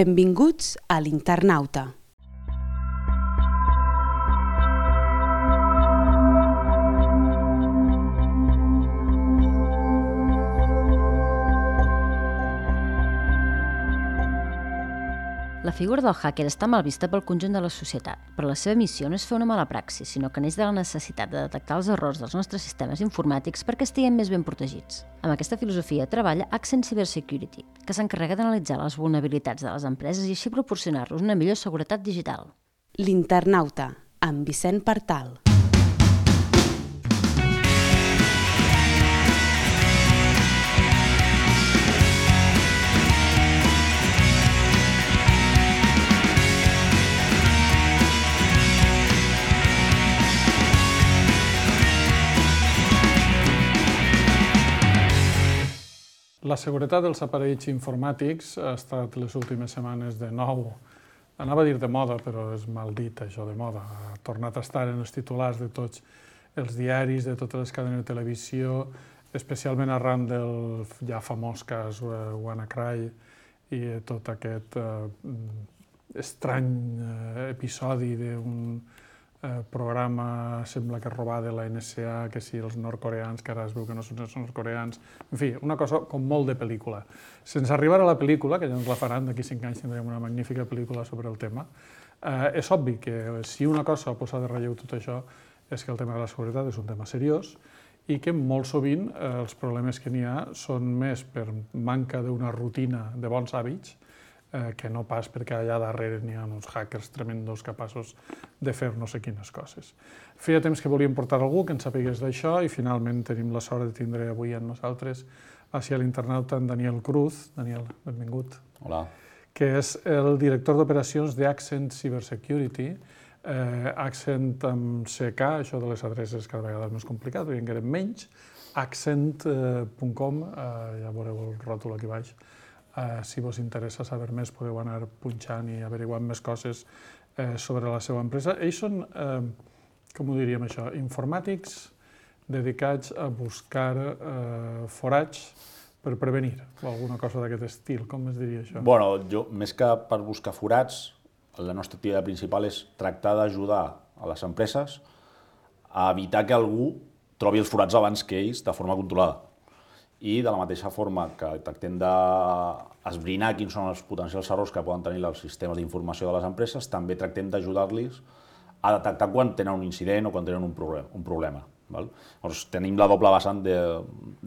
Benvinguts a l'Internauta. La figura del hacker està mal vista pel conjunt de la societat, però la seva missió no és fer una mala praxis, sinó que neix de la necessitat de detectar els errors dels nostres sistemes informàtics perquè estiguem més ben protegits. Amb aquesta filosofia treballa Accent Cybersecurity, que s'encarrega d'analitzar les vulnerabilitats de les empreses i així proporcionar-los una millor seguretat digital. L'Internauta, amb Vicent Partal. La seguretat dels aparells informàtics ha estat les últimes setmanes de nou, anava a dir de moda, però és mal dit això de moda, ha tornat a estar en els titulars de tots els diaris, de totes les cadenes de televisió, especialment arran del ja famós cas WannaCry i tot aquest estrany episodi d'un programa, sembla que robar de la NSA, que si els nord-coreans, que ara es veu que no són els nord-coreans, en fi, una cosa com molt de pel·lícula. Sense arribar a la pel·lícula, que ja ens la faran, d'aquí 5 anys tindrem una magnífica pel·lícula sobre el tema, és obvi que si una cosa posa de relleu tot això és que el tema de la seguretat és un tema seriós i que molt sovint els problemes que n'hi ha són més per manca d'una rutina de bons hàbits que no pas perquè allà darrere n'hi ha uns hackers tremendos capaços de fer no sé quines coses. Feia temps que volíem portar algú que en sapigués d'això i finalment tenim la sort de tindre avui amb nosaltres a l'Internauta en Daniel Cruz. Daniel, benvingut. Hola. Que és el director d'operacions d'Accent Cybersecurity. Accent amb CK, això de les adreces cada vegada és més complicat, perquè encara menys. Accent.com, ja veureu el ròtol aquí baix. Si vos interessa saber més, podeu anar punxant i averiguant més coses sobre la seva empresa. Ells són, com ho diríem això, informàtics dedicats a buscar forats per prevenir, o alguna cosa d'aquest estil, com es diria això? Bueno, jo, més que per buscar forats, la nostra activitat principal és tractar d'ajudar a les empreses a evitar que algú trobi els forats abans que ells de forma controlada. I de la mateixa forma que tractem d'esbrinar quins són els potencials errors que poden tenir els sistemes d'informació de les empreses, també tractem d'ajudar-los a detectar quan tenen un incident o quan tenen un problema. Llavors, tenim la doble vessant de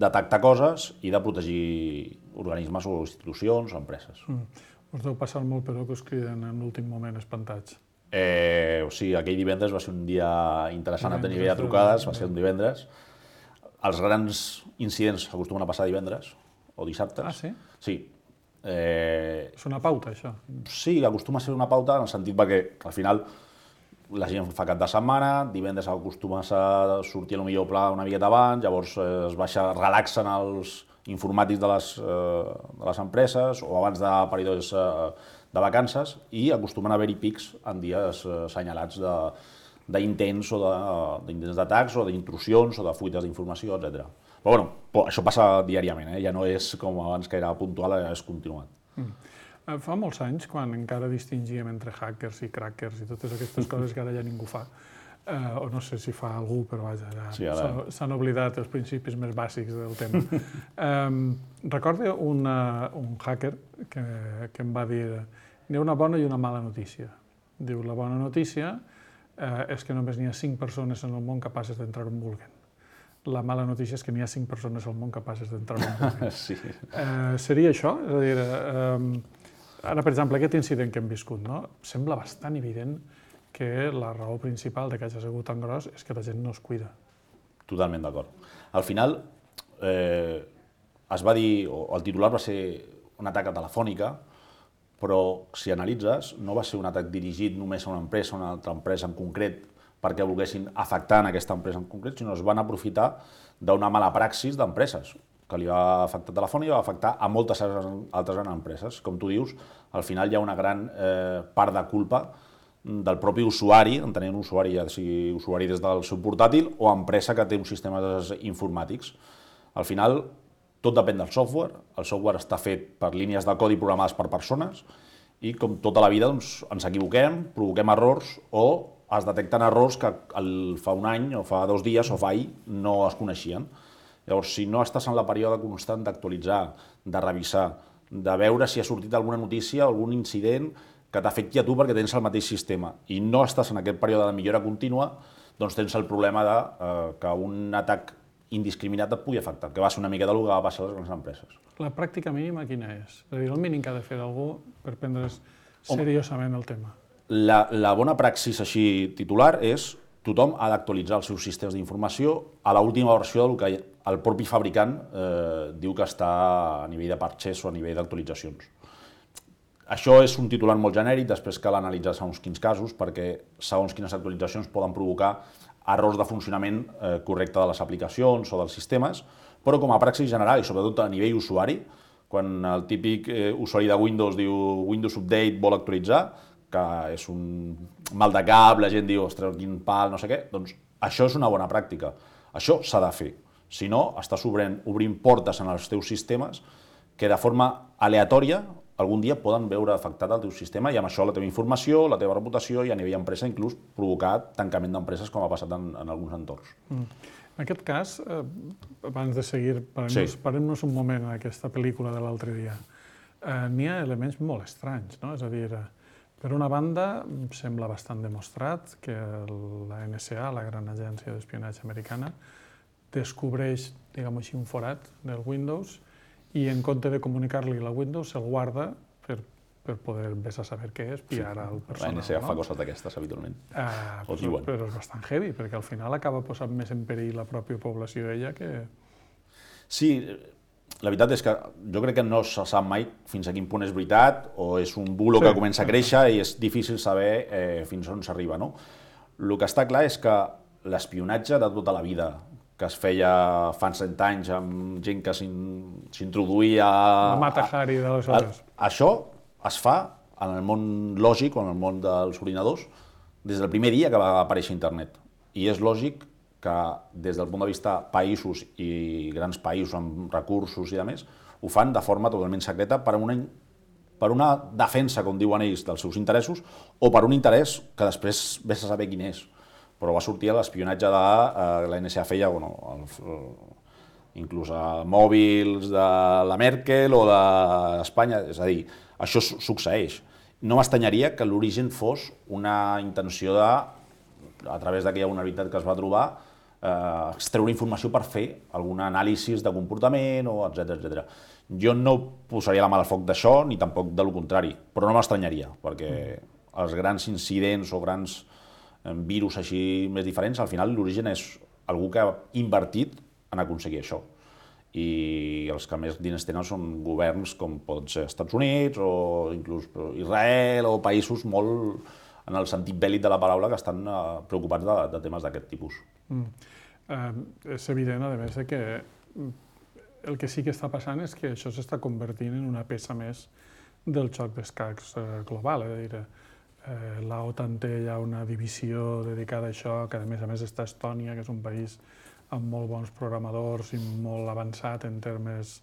detectar coses i de protegir organismes o institucions o empreses. Us deu passar molt, però, que us criden en l'últim moment espantats. Sí, aquell divendres va ser un dia interessant a tenir de trucades, va ser un divendres. Els grans incidents acostumen a passar divendres o dissabtes. Ah, sí? Sí. És una pauta, això? Sí, acostuma a ser una pauta en el sentit que al final la gent fa cap de setmana, divendres acostumes a sortir potser pla una miqueta abans, llavors relaxen els informàtics de les empreses o abans de períodes de vacances i acostumen a haver-hi pics en dies assenyalats d'intents o d'intents d'atacs o d'intrusions o de fuites d'informació, etc. Però bueno, això passa diàriament, ja no és com abans que era puntual, és continuat. Fa molts anys, quan encara distingíem entre hackers i crackers i totes aquestes coses que ara ja ningú fa, o no sé si fa algú, però vaja, ja s'han oblidat els principis més bàsics del tema. Recordo un hacker que em va dir hi ha una bona i una mala notícia. Diu, la bona notícia és que només n'hi ha 5 persones en el món capaces d'entrar on vulguen. La mala notícia és que n'hi ha 5 persones al món capaces d'entrar on vulguen. Sí. Seria això? És a dir, ara, per exemple, aquest incident que hem viscut, no? Sembla bastant evident que la raó principal de que hagi sigut tan gros és que la gent no es cuida. Totalment d'acord. Al final, es va dir, o el titular va ser un atac a Telefònica, però si analitzes, no va ser un atac dirigit només a una empresa o a una altra empresa en concret perquè volguessin afectar en aquesta empresa en concret, sinó es van aprofitar d'una mala praxis d'empreses que li va afectar a Telefònica i va afectar a moltes altres grans empreses. Com tu dius, al final hi ha una gran part de culpa del propi usuari, entenent usuari, ja sigui usuari des del seu portàtil o empresa que té uns sistemes informàtics. Al final, tot depèn del software. El software està fet per línies de codi programades per persones i com tota la vida doncs, ens equivoquem, provoquem errors o es detecten errors que fa un any o fa 2 dies o fa ahir no es coneixien. Llavors, si no estàs en la període constant d'actualitzar, de revisar, de veure si ha sortit alguna notícia, algun incident que t'afecti a tu perquè tens el mateix sistema i no estàs en aquest període de millora contínua, doncs tens el problema que un atac indiscriminat et pugui afectar, que va ser una mica del que va passar a les grans empreses. La pràctica mínima quina és? És a dir, el mínim que ha de fer algú per prendre's seriosament el tema. La bona praxis així titular és tothom ha d'actualitzar els seus sistemes d'informació a l'última versió del que el propi fabricant diu que està a nivell de parches o a nivell d'actualitzacions. Això és un titular molt genèric, després cal analitzar segons quins casos, perquè segons quines actualitzacions poden provocar errors de funcionament correcte de les aplicacions o dels sistemes, però com a praxis general i sobretot a nivell usuari, quan el típic usuari de Windows diu Windows Update vol actualitzar, que és un mal de cap, la gent diu, ostres, quin pal, no sé què, doncs això és una bona pràctica. Això s'ha de fer. Si no, estàs obrint portes en els teus sistemes que de forma aleatòria algun dia poden veure afectat el teu sistema i amb això la teva informació, la teva reputació i a nivell empresa inclús provocar tancament d'empreses com ha passat en alguns entorns. En aquest cas, abans de seguir, parem-nos un moment en aquesta pel·lícula de l'altre dia. N'hi ha elements molt estranys, no? És a dir, per una banda, sembla bastant demostrat que la NSA, la gran agència d'espionatge americana, descobreix, diguem-ho així, un forat del Windows i en compte de comunicar-li la Windows se'l guarda per poder vés a saber què és, pillar al personal. La NSA fa coses d'aquestes habitualment. Però és bastant heavy, perquè al final acaba posant més en perill la pròpia població ella que... Sí, la veritat és que jo crec que no se sap mai fins a quin punt és veritat o és un bulo que comença a créixer i és difícil saber fins on s'arriba, no? El que està clar és que l'espionatge de tota la vida, que es feia fa 100 anys amb gent que s'introduïa... La Mata Hari d'aleshores. Això es fa en el món lògic o en el món dels ordinadors des del primer dia que va aparèixer internet. I és lògic que des del punt de vista països i grans països amb recursos i demés, ho fan de forma totalment secreta per una defensa, com diuen ells, dels seus interessos o per un interès que després vés a saber quin és. Però va sortir l'espionatge de la NSA feia, inclús a mòbils de la Merkel o d'Espanya, és a dir, això succeeix. No m'estranyaria que l'origen fos una intenció de, a través d'aquella vulnerabilitat que es va trobar, extreure informació per fer algun anàlisi de comportament, etc. Jo no posaria la mà al foc d'això, ni tampoc de lo contrari, però no m'estranyaria, perquè els grans incidents o grans virus així més diferents, al final l'origen és algú que ha invertit en aconseguir això. I els que més diners tenen són governs com pot ser Estats Units o inclús Israel o països molt, en el sentit bèl·lic de la paraula, que estan preocupats de temes d'aquest tipus. És evident, a més, que el que sí que està passant és que això s'està convertint en una peça més del xoc d'escacs global. És a dir, la OTAN té ja una divisió dedicada a això, que a més està a Estònia, que és un país amb molt bons programadors i molt avançat en termes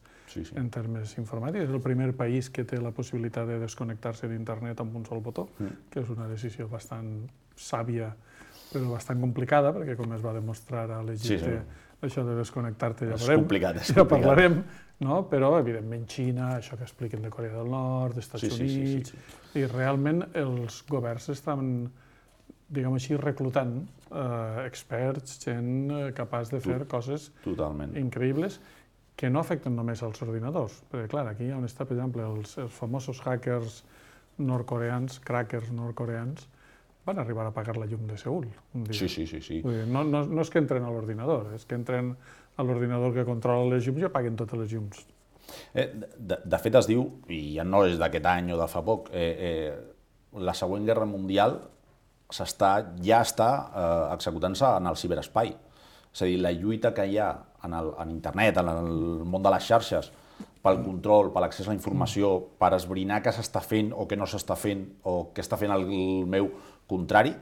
informàtics. És el primer país que té la possibilitat de desconnectar-se d'internet amb un sol botó, que és una decisió bastant sàvia, però bastant complicada, perquè com es va demostrar a l'Egipte, això de desconnectar-te ja parlarem, però evidentment Xina, això que expliquen de Corea del Nord, d'Estats Units, i realment els governs estan, diguem així, reclutant experts, gent capaç de fer coses increïbles que no afecten només als ordinadors. Perquè, clar, aquí on està, per exemple, els famosos hackers nord-coreans, crackers nord-coreans, van arribar a apagar la llum de Seül un dia. Sí. No és que entren a l'ordinador, és que entren a l'ordinador que controla les llums i apaguen totes les llums. De fet es diu, i ja no és d'aquest any o de fa poc, la següent guerra mundial ja està executant-se en el ciberespai. És a dir, la lluita que hi ha en internet, en el món de les xarxes, pel control, per l'accés a la informació, per esbrinar què s'està fent o què no s'està fent o què està fent el meu contrari,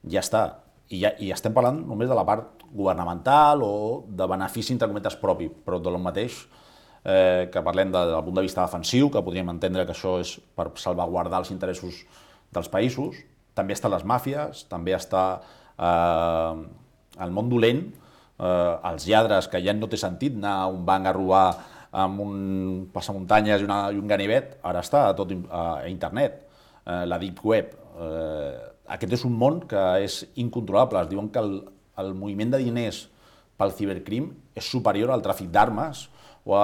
ja està. I estem parlant només de la part governamental o de benefici, entre cometes, propi, però del mateix que parlem del punt de vista defensiu, que podríem entendre que això és per salvaguardar els interessos dels països. També estan les màfies, també està el món dolent, els lladres, que ja no té sentit anar a un banc a robar amb un passamuntanyes i un ganivet, ara està tot a internet, la deep web. Aquest és un món que és incontrolable. Es diuen que el moviment de diners pel cibercrim és superior al tràfic d'armes o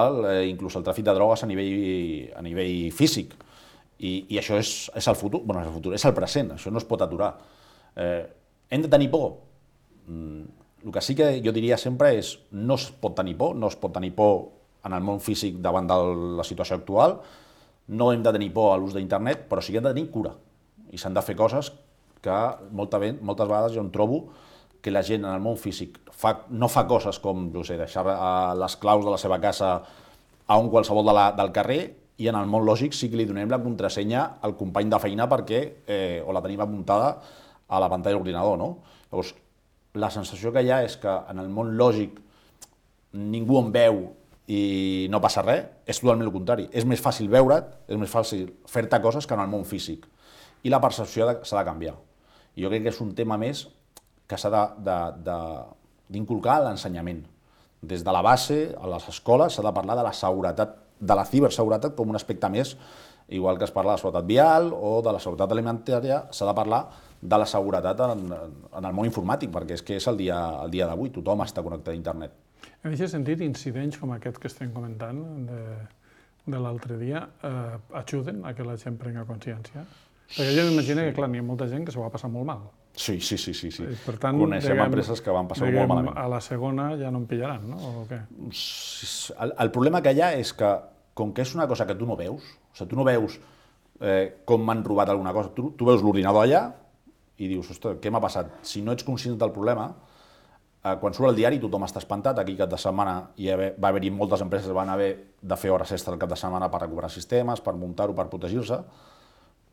inclús al tràfic de drogues a nivell físic. I això és el futur, bueno, és el futur, és el present, això no es pot aturar. Hem de tenir por? El que sí que jo diria sempre és no es pot tenir por en el món físic davant de la situació actual, no hem de tenir por a l'ús d'internet, però sí que hem de tenir cura. I s'han de fer coses que moltes vegades jo em trobo que la gent en el món físic no fa coses com deixar les claus de la seva casa a un qualsevol del carrer, i en el món lògic sí que li donem la contrasenya al company de feina o la tenim apuntada a la pantalla de l'ordinador, no? Llavors, la sensació que hi ha és que en el món lògic ningú em veu i no passa res, és totalment el contrari. És més fàcil veure't, és més fàcil fer-te coses que en el món físic. I la percepció s'ha de canviar. I jo crec que és un tema més que s'ha d'inculcar a l'ensenyament. Des de la base, a les escoles, s'ha de parlar de la seguretat, de la ciberseguretat com un aspecte més, igual que es parla de la seguretat vial o de la seguretat alimentària, s'ha de parlar de la seguretat en el món informàtic, perquè és que és el dia d'avui, tothom està connectat a internet. En aquest sentit, incidents com aquest que estem comentant de l'altre dia ajuden a que la gent prengui consciència? Perquè jo m'imagino que, clar, n'hi ha molta gent que s'ho va passar molt mal. Sí. Per tant, coneixem empreses que van passar molt malament. A la segona ja no en pillaran, no? O què? El problema que hi ha és que, com que és una cosa que tu no veus, o sigui, tu no veus com m'han robat alguna cosa, tu veus l'ordinador allà i dius, ostres, què m'ha passat? Si no ets conscient del problema, quan surt al diari tothom està espantat. Aquí cap de setmana va haver-hi moltes empreses que van haver de fer hores extra el cap de setmana per recuperar sistemes, per muntar-ho, per protegir-se,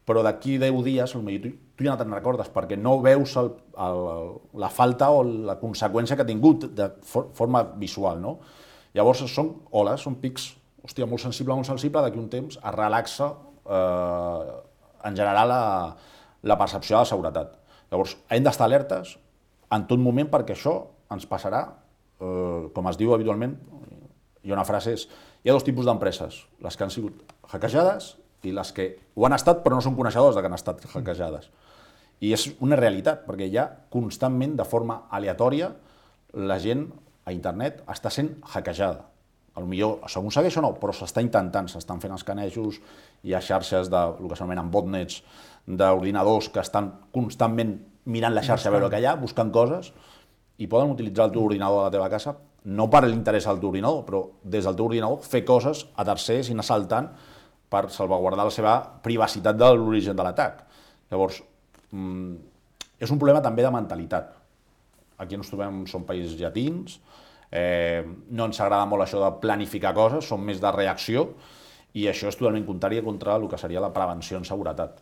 però d'aquí 10 dies tu ja no te'n recordes perquè no veus la falta o la conseqüència que ha tingut de forma visual, no? Llavors són oles, són pics, hòstia, molt sensible, d'aquí un temps es relaxa en general la percepció de la seguretat. Llavors hem d'estar alertes en tot moment perquè això ens passarà, com es diu habitualment, hi ha una frase, hi ha dos tipus d'empreses, les que han sigut hackejades i les que ho han estat però no són coneixedors de que han estat hackejades. I és una realitat, perquè ja constantment, de forma aleatòria, la gent a internet està sent hackejada. Potser s'aconsegueix o no, però s'està intentant, s'estan fent escanejos, hi ha xarxes del que s'anomenen botnets d'ordinadors que estan constantment mirant la xarxa a veure què hi ha, buscant coses, i poden utilitzar el teu ordinador a la teva casa, no per l'interès del teu ordinador, però des del teu ordinador fer coses a tercers i anar saltant per salvaguardar la seva privacitat de l'origen de l'atac. Llavors, és un problema també de mentalitat. Aquí ens trobem, som països llatins, no ens agrada molt això de planificar coses, som més de reacció, i això és totalment contrari contra el que seria la prevenció en seguretat.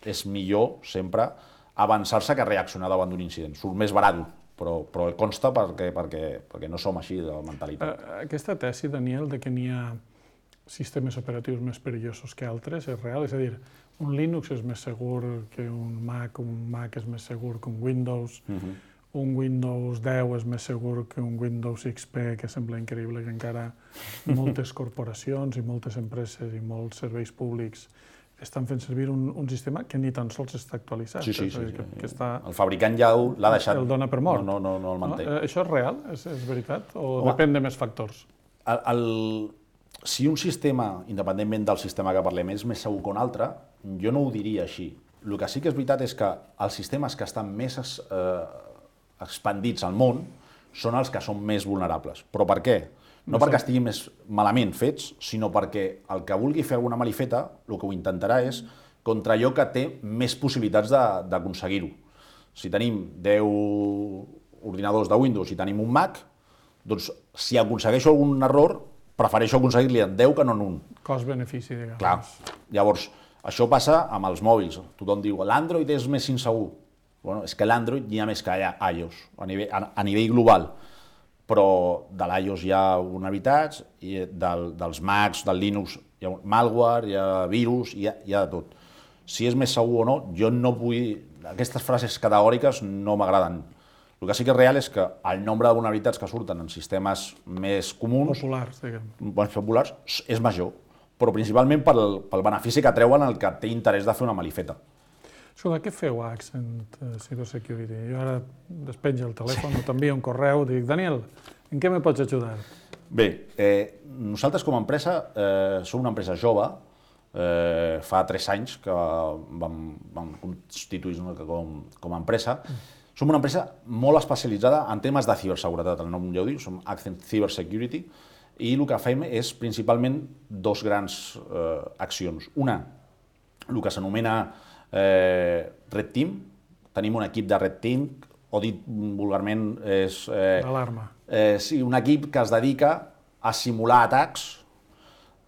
És millor sempre avançar-se que reaccionar davant d'un incident. Surt més barat, però consta perquè no som així de mentalitat. Aquesta tesi, Daniel, de que n'hi ha sistemes operatius més perillosos que altres, és real? És a dir, un Linux és més segur que un Mac és més segur que un Windows, un Windows 10 és més segur que un Windows XP, que sembla increïble que encara moltes corporacions i moltes empreses i molts serveis públics estan fent servir un sistema que ni tan sols està actualitzat. Sí. El fabricant ja l'ha deixat. El dona per mort. No el manté. Això és real? És veritat? O depèn de més factors? Si un sistema, independentment del sistema que parlem, és més segur que un altre, jo no ho diria així. El que sí que és veritat és que els sistemes que estan més expandits al món són els que són més vulnerables. Però per què? No perquè estiguin més malament fets, sinó perquè el que vulgui fer alguna malifeta, el que ho intentarà és contra allò que té més possibilitats d'aconseguir-ho. Si tenim 10 ordinadors de Windows i tenim un Mac, doncs si aconsegueixo algun error, prefereixo aconseguir-li en 10 que no en un. Cost-benefici, diguem. Clar. Llavors, això passa amb els mòbils. Tothom diu, l'Android és més insegur. Bueno, és que l'Android n'hi ha més que iOS, a nivell global. però de l'iOS hi ha vulnerabilitats, i dels Macs, del Linux, hi ha malware, hi ha virus, hi ha de tot. Si és més segur o no, jo no vull... Aquestes frases categòriques no m'agraden. El que sí que és real és que el nombre de vulnerabilitats que surten en sistemes més comuns, Populars, diguem. més populars, és major, però principalment pel benefici que treuen el que té interès de fer una malifeta. Escolta, què feu a Accent Cybersecurity? Jo ara despenjo el telèfon o t'envio un correu, dic, Daniel, en què me pots ajudar? Bé, nosaltres com a empresa som una empresa jove, fa 3 anys que vam constituir-nos com a empresa. Som una empresa molt especialitzada en temes de ciberseguretat, el nom ja ho diu, som Accent Cybersecurity, i el que fem és principalment 2 grans accions. Una, el que s'anomena Red Team. Tenim un equip de Red Team, o dit vulgarment és... Alarma. Sí, un equip que es dedica a simular atacs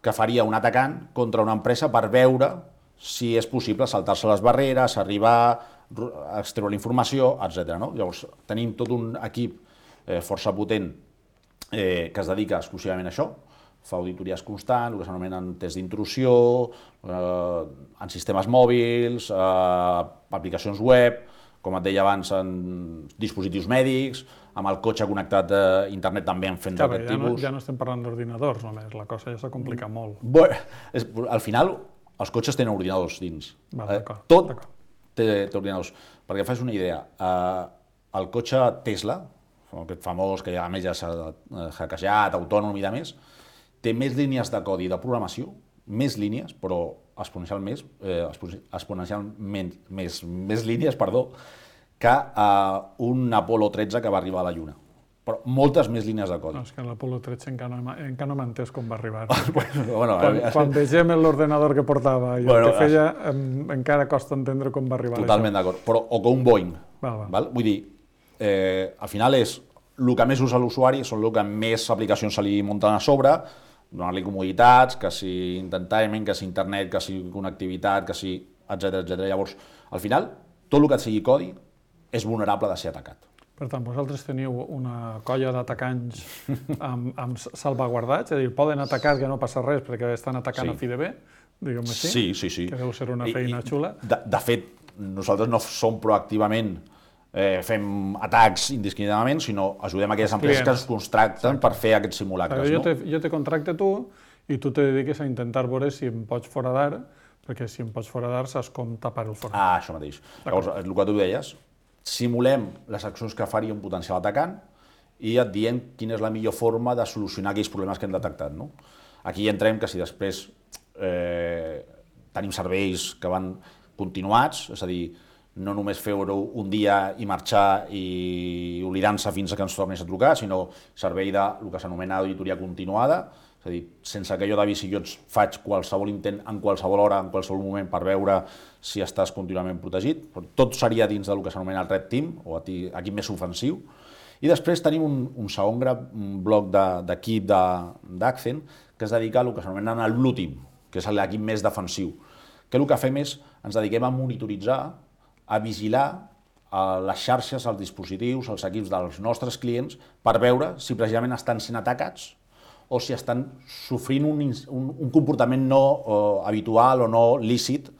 que faria un atacant contra una empresa per veure si és possible saltar-se les barreres, arribar a extreure la informació, etc. Llavors, tenim tot un equip força potent que es dedica exclusivament a això, fa auditories constants, el que s'anomenen tests d'intrusió, en sistemes mòbils, aplicacions web, com et deia abans, en dispositius mèdics, amb el cotxe connectat a internet també en fent d'aquest tipus. Ja no estem parlant d'ordinadors només, la cosa ja s'ha complicat molt. Bé, al final, els cotxes tenen ordinadors dins. Tot té ordinadors. Perquè fas una idea, el cotxe Tesla, aquest famós que a més ja s'ha hackejat, autònom i de més, té més línies de codi de programació, més línies, però exponencialment més línies, que un Apolo 13 que va arribar a la Lluna. Però moltes més línies de codi. No, és que l'Apolo 13 encara no m'ha entès com va arribar. Quan vegem l'ordenador que portava i el que feia, encara costa entendre com va arribar. Totalment d'acord. Però o que un Boeing. Vull dir, al final és el que més usa l'usuari, són el que més aplicacions se li munten a sobre, donar-li comoditats, que si entertainment, que si internet, que si connectivitat, que si etc. Llavors, al final, tot el que sigui codi és vulnerable de ser atacat. Per tant, vosaltres teniu una colla d'atacants amb salvaguardats, és a dir, poden atacar que no passa res perquè estan atacant a fi de bé, diguem-ho així? Sí. Que deu ser una feina xula. De fet, nosaltres no som proactivament fem atacs indiscriminadament, sinó ajudem aquelles empreses que es contracten per fer aquests simulacres. Jo te contracte tu i tu te dediques a intentar veure si em pots foradar, perquè si em pots foradar saps com tapar el forat. Això mateix. Llavors, el que tu deies, simulem les accions que faria un potencial atacant i et diem quina és la millor forma de solucionar aquells problemes que hem detectat. Aquí entrem que si després tenim serveis que van continuats, és a dir, no només fer-ho un dia i marxar i oblidant-se fins que ens tornis a trucar, sinó servei de el que s'anomena auditoria continuada, és a dir, sense que jo t'avisi, jo et faig qualsevol intent en qualsevol hora, en qualsevol moment, per veure si estàs contínuament protegit. Tot seria dins del que s'anomena el Red Team, o equip més ofensiu. I després tenim un segon bloc d'equip d'Accent que es dedica a el que s'anomena el Blue Team, que és l'equip més defensiu, que el que fem és, ens dediquem a monitoritzar, a vigilar les xarxes, els dispositius, els equips dels nostres clients per veure si precisament estan sent atacats o si estan sofrint un comportament no habitual o no lícit,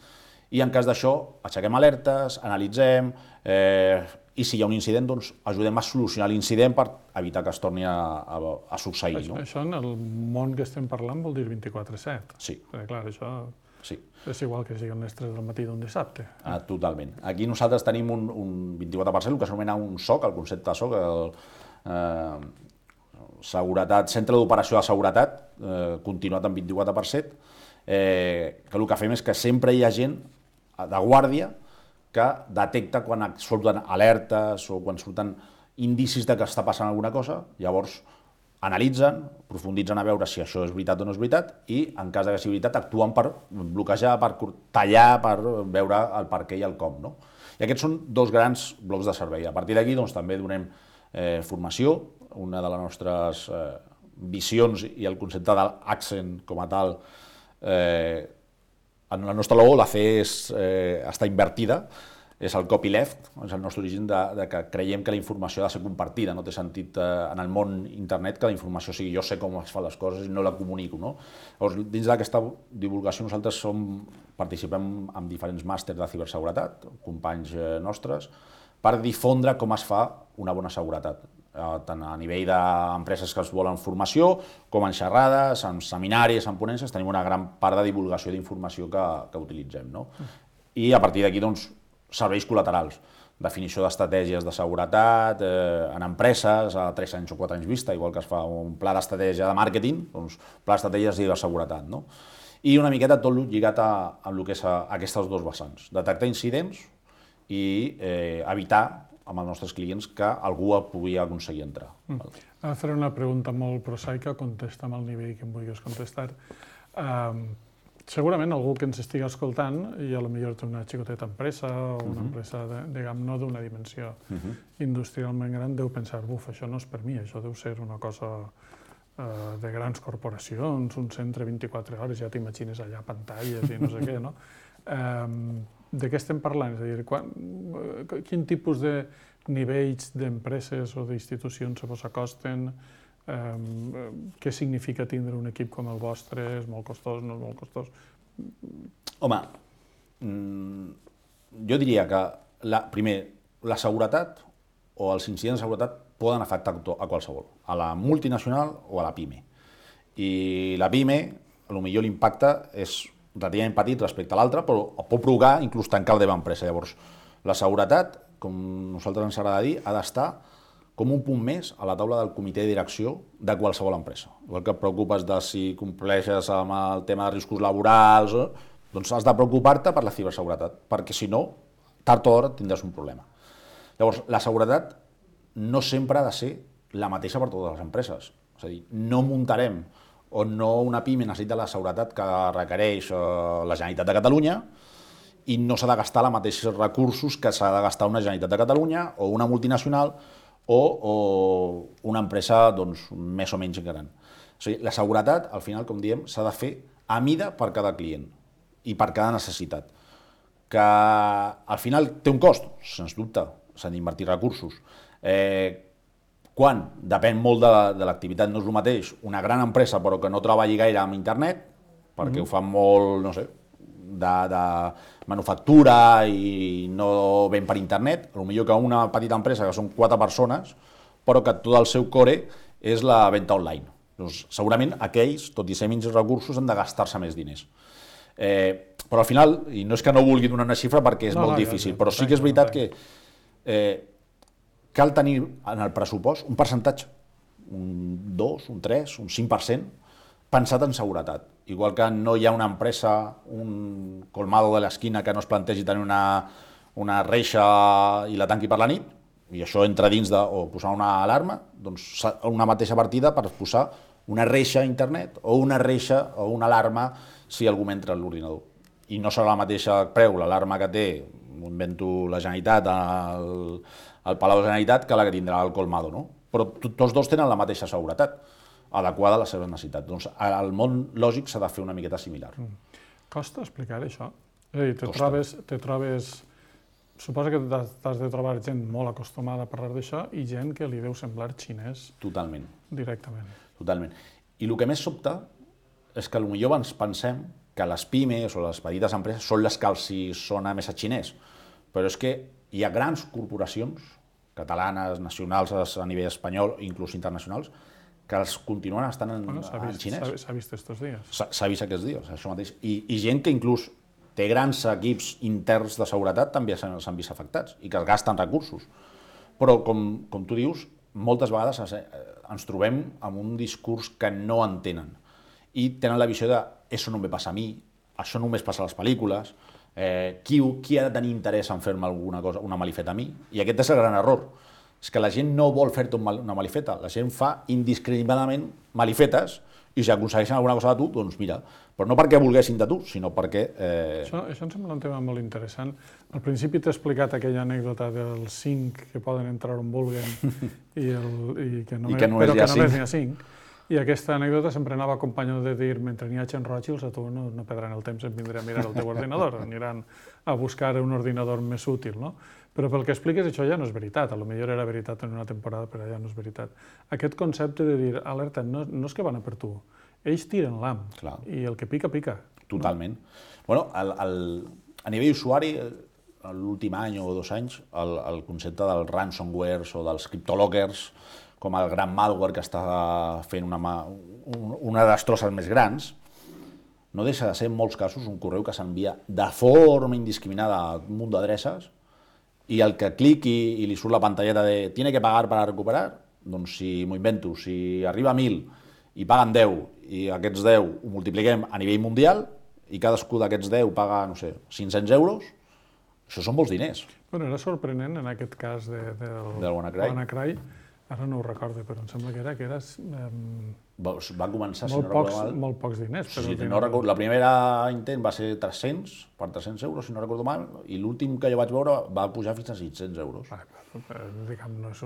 i en cas d'això aixequem alertes, analitzem i si hi ha un incident doncs ajudem a solucionar l'incident per evitar que es torni a succeir. Això en el món que estem parlant vol dir 24/7. Sí. Perquè clar, això sí. És igual que siguin les 3 del matí d'un dissabte. Totalment. Aquí nosaltres tenim un 24%, el que s'anomena un SOC, el concepte de SOC, Centre d'Operació de Seguretat, continuat en 24%, que el que fem és que sempre hi ha gent de guàrdia que detecta quan surten alertes o quan surten indicis de que està passant alguna cosa, llavors analitzen, profunditzen a veure si això és veritat o no és veritat i, en cas de que sigui veritat, actuen per bloquejar, per tallar, per veure el per què i el com. I aquests són 2 grans blocs de servei. A partir d'aquí també donem formació. Una de les nostres visions i el concepte de l'Accent com a tal, en el nostre logo la C està invertida, és el copyleft, és el nostre origen de que creiem que la informació ha de ser compartida, no té sentit en el món internet que la informació sigui jo sé com es fan les coses i no la comunico. No? Llavors, dins d'aquesta divulgació nosaltres participem en diferents màsters de ciberseguretat, companys nostres, per difondre com es fa una bona seguretat, tant a nivell d'empreses que es volen formació, com en xerrades, en seminaris, en ponències, tenim una gran part de divulgació d'informació que utilitzem. No? I a partir d'aquí, doncs, serveis col·laterals, definició d'estratègies de seguretat en empreses a 3 anys o 4 anys vista, igual que es fa un pla d'estratègia de màrqueting, doncs pla d'estratègies de ciberseguretat. No? I una miqueta tot lligat amb el que és aquestes dos vessants, detectar incidents i evitar amb els nostres clients que algú pugui aconseguir entrar. Ara faré una pregunta molt prosaica, contesta amb el nivell que em vulguis contestar. Segurament algú que ens estigui escoltant i potser té una xicoteta empresa o una empresa, diguem, no d'una dimensió industrialment gran, deu pensar, buf, això no és per mi, això deu ser una cosa de grans corporacions, un centre 24 hores, ja t'imagines allà pantalles i no sé què, no? De què estem parlant? És a dir, quin tipus de nivells d'empreses o d'institucions se vos acosten? Què significa tindre un equip com el vostre? És molt costós, no és molt costós? Home, jo diria que, primer, la seguretat o els incidents de seguretat poden afectar a qualsevol, a la multinacional o a la PIME. I la PIME, potser l'impacte és relativament petit respecte a l'altre, però pot provocar inclús tancar la teva empresa. Llavors, la seguretat, com nosaltres ens agrada dir, ha d'estar com un punt més a la taula del comitè de direcció de qualsevol empresa. Igual que et preocupes de si compleixes amb el tema de riscos laborals, doncs has de preocupar-te per la ciberseguretat, perquè si no, tard o d'hora tindràs un problema. Llavors, la seguretat no sempre ha de ser la mateixa per totes les empreses. És a dir, no muntarem o no una PIME necessita la seguretat que requereix la Generalitat de Catalunya i no s'ha de gastar els mateixos recursos que s'ha de gastar una Generalitat de Catalunya o una multinacional o una empresa doncs, més o menys gran. O sigui, la seguretat, al final, com diem, s'ha de fer a mida per cada client i per cada necessitat. Que al final té un cost, sens dubte, s'han d'invertir recursos. Quan? Depèn molt de l'activitat, no és el mateix una gran empresa però que no treballi gaire amb internet, perquè ho fan molt, no sé, de manufactura i no ven per internet, potser que una petita empresa que són 4 persones, però que tot el seu core és la venda online. Doncs, segurament aquells, tot i ser menys recursos, han de gastar-se més diners. Però al final, i no és que no vulgui donar una xifra perquè és molt difícil, però sí que és veritat que cal tenir en el pressupost un percentatge, un 2, un 3, un 5%, pensat en seguretat. Igual que no hi ha una empresa, un colmado de l'esquina que no es plantegi tenir una reixa i la tanqui per la nit, i això entra dins o posar una alarma, doncs una mateixa partida per posar una reixa a internet o una reixa o una alarma si algú entra a l'ordinador. I no serà la mateixa preu l'alarma que té, m'ho invento, la Generalitat, el Palau de la Generalitat, que la que tindrà el colmado, no? Però tots dos tenen la mateixa seguretat adequada a les seves necessitats. Doncs al món lògic s'ha de fer una miqueta similar. Costa explicar això? És a dir, te trobes... Suposa que t'has de trobar gent molt acostumada a parlar d'això i gent que li deu semblar xinès. Totalment. Directament. Totalment. I el que més sobta és que potser ens pensem que les pimes o les petites empreses són les que els sona més a xinès. Però és que hi ha grans corporacions, catalanes, nacionals a nivell espanyol, inclús internacionals, que els continuen estant en xinès. S'ha vist estos dies. S'ha vist aquests dies, això mateix. I gent que inclús té grans equips interns de seguretat també s'han vist afectats i que es gasten recursos. Però, com tu dius, moltes vegades ens trobem amb un discurs que no entenen i tenen la visió de això no em ve passar a mi, això només passa a les pel·lícules, qui ha de tenir interès en fer-me alguna cosa, una malifeta a mi? I aquest és el gran error. És que la gent no vol fer-te una malifeta, la gent fa indiscriminadament malifetes i si aconsegueixen alguna cosa de tu, doncs mira, però no perquè volguessin de tu, sinó perquè... Això em sembla un tema molt interessant. Al principi t'he explicat aquella anècdota dels 5 que poden entrar on vulguen i que només n'hi ha 5. I aquesta anècdota sempre anava acompanyada de dir, mentre n'hi ha gent rògils, a tu no perdran el temps en vindre a mirar el teu ordinador, aniran a buscar un ordinador més útil, no? Però pel que expliques, això ja no és veritat. A lo millor era veritat en una temporada, però ja no és veritat. Aquest concepte de dir, alerta, no és que van a per tu. Ells tiren l'ham, i el que pica, pica. Totalment. Bueno, a nivell usuari, l'últim any o 2 anys, el concepte dels ransomwares o dels cryptolockers, com el gran malware que està fent una de les trosses més grans, no deixa de ser en molts casos un correu que s'envia de forma indiscriminada a un munt d'adreces i el que cliqui i li surt la pantalleta de «tiene que pagar para recuperar», doncs si m'ho invento, si arriba a 1.000 i paguen 10 i aquests 10 ho multipliquem a nivell mundial i cadascú d'aquests 10 paga, no sé, 500 euros, això són molts diners. Bueno, era sorprenent en aquest cas del WannaCry. Ara no ho recordo, però em sembla que era va començar, si molt no recordo mal... Molt pocs diners. Sí, no recordo. La primera intent va ser 300, per 300 euros, si no recordo mal, i l'últim que jo vaig veure va pujar fins a 600 euros. Diguem, no és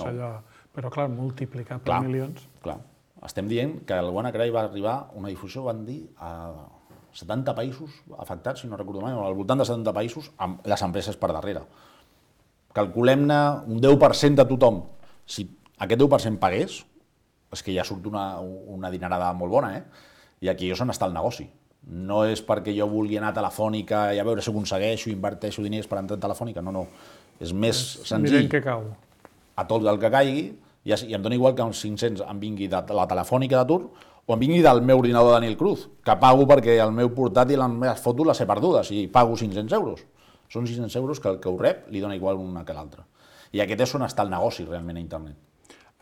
allò... Però, clar, multiplicat per milions... Clar. Estem dient que el WannaCry va arribar, una difusió, van dir, a 70 països afectats, si no recordo mal, al voltant de 70 països, amb les empreses per darrere. Calculem-ne un 10% de tothom. Si aquest 10% pagués, és que ja surt una dinerada molt bona, I aquí és on està el negoci. No és perquè jo vulgui anar a Telefònica i a veure si aconsegueixo, inverteixo diners per entrar a Telefònica, no. És més senzill. Mirem què cau. A tot el que caigui, i em dona igual que uns 500 em vingui de la Telefònica d'atur o em vingui del meu ordinador de Daniel Cruz, que pago perquè el meu portàtil, les meves fotos les he perdudes i pago 500 euros. Són 600 euros que el que ho rep li dona igual una que l'altra. I aquest és on està el negoci realment a internet.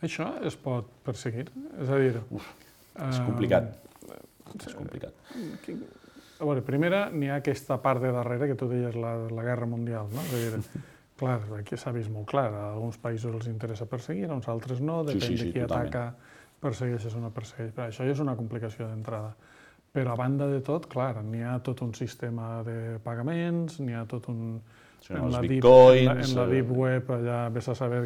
Això es pot perseguir? És a dir... És complicat. És complicat. A veure, primera, n'hi ha aquesta part de darrere que tu deies la guerra mundial, no? És a dir, clar, aquí s'ha vist molt clar, a alguns països els interessa perseguir, a uns altres no, depèn de qui ataca, persegueixes o no persegueix. Però això ja és una complicació d'entrada. Però a banda de tot, clar, n'hi ha tot un sistema de pagaments, n'hi ha tot un... En la Deep Web, allà vés a saber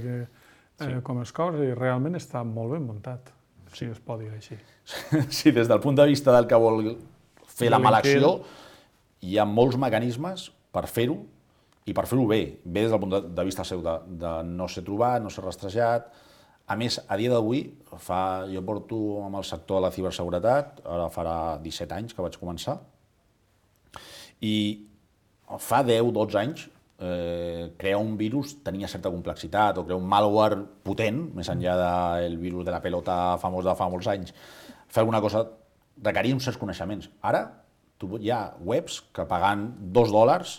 com es cobra, i realment està molt ben muntat, si es pot dir així. Sí, des del punt de vista del que vol fer la mala acció, hi ha molts mecanismes per fer-ho, i per fer-ho bé des del punt de vista seu, de no ser trobat, no ser rastrejat. A més, a dia d'avui, jo porto amb el sector de la ciberseguretat, ara farà 17 anys que vaig començar, i fa 10-12 anys crear un virus tenia certa complexitat, o crear un malware potent, més enllà del virus de la pelota famós de fa molts anys, fer alguna cosa requeria uns certs coneixements. Ara hi ha webs que pagant $2